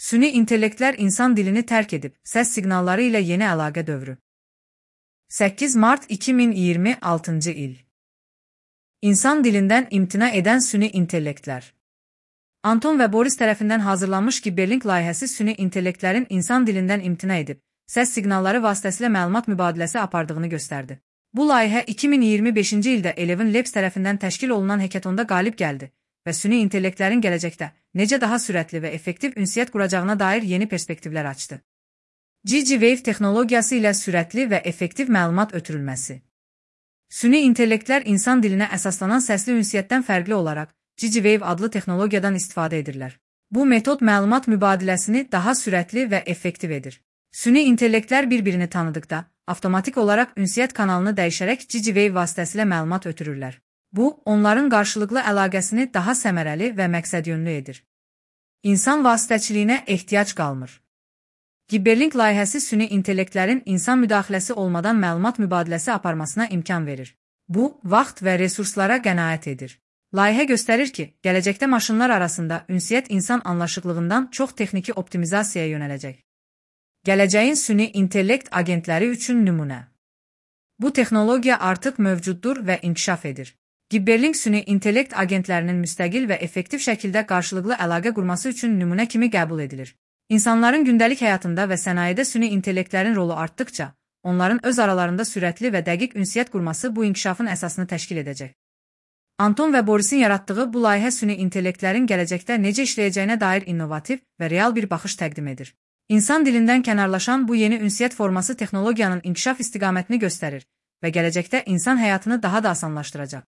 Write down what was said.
Süni intellektlər insan dilini tərk edib, səs siqnalları ilə yeni əlaqə dövrü. 8 mart 2026 il. İnsan dilindən imtina edən süni intellektlər. Anton və Boris tərəfindən hazırlanmış Gibberling layihəsi süni intellektlərin insan dilindən imtina edib, səs siqnalları vasitəsilə məlumat mübadiləsi apardığını göstərdi. Bu layihə 2025-ci ildə Eleven Labs tərəfindən təşkil olunan hekatonda qalib gəldi və süni intellektlərin gələcəkdə necə daha sürətli və effektiv ünsiyyət quracağına dair yeni perspektivlər açdı. GigaWave texnologiyası ilə sürətli və effektiv məlumat ötürülməsi. Süni intellektlər insan dilinə əsaslanan səsli ünsiyyətdən fərqli olaraq GigaWave adlı texnologiyadan istifadə edirlər. Bu metod məlumat mübadiləsini daha sürətli və effektiv edir. Süni intellektlər bir-birini tanıdıqda, avtomatik olaraq ünsiyyət kanalını dəyişərək GigaWave vasitəsilə məlumat ötürürlər. Bu, onların qarşılıqlı əlaqəsini daha səmərəli və məqsədyönlü edir. İnsan vasitəçiliyinə ehtiyac qalmır. Gibberling layihəsi süni intellektlərin insan müdaxiləsi olmadan məlumat mübadiləsi aparmasına imkan verir. Bu, vaxt və resurslara qənaət edir. Layihə göstərir ki, gələcəkdə maşınlar arasında ünsiyyət insan anlaşıqlığından çox texniki optimizasiyaya yönələcək. Gələcəyin süni intellekt agentləri üçün nümunə. Bu texnologiya artıq mövcuddur və inkişaf edir. Gibberling süni intellekt agentlərinin müstəqil və effektiv şəkildə qarşılıqlı əlaqə qurması üçün nümunə kimi qəbul edilir. İnsanların gündəlik həyatında və sənayedə süni intellektlərin rolu artdıqca, onların öz aralarında sürətli və dəqiq ünsiyyət qurması bu inkişafın əsasını təşkil edəcək. Anton və Borisin yaratdığı bu layihə süni intellektlərin gələcəkdə necə işləyəcəyinə dair innovativ və real bir baxış təqdim edir. İnsan dilindən kənarlaşan bu yeni ünsiyyət forması texnologiyanın inkişaf istiqamətini göstərir və gələcəkdə insan həyatını daha da asanlaşdıracaq.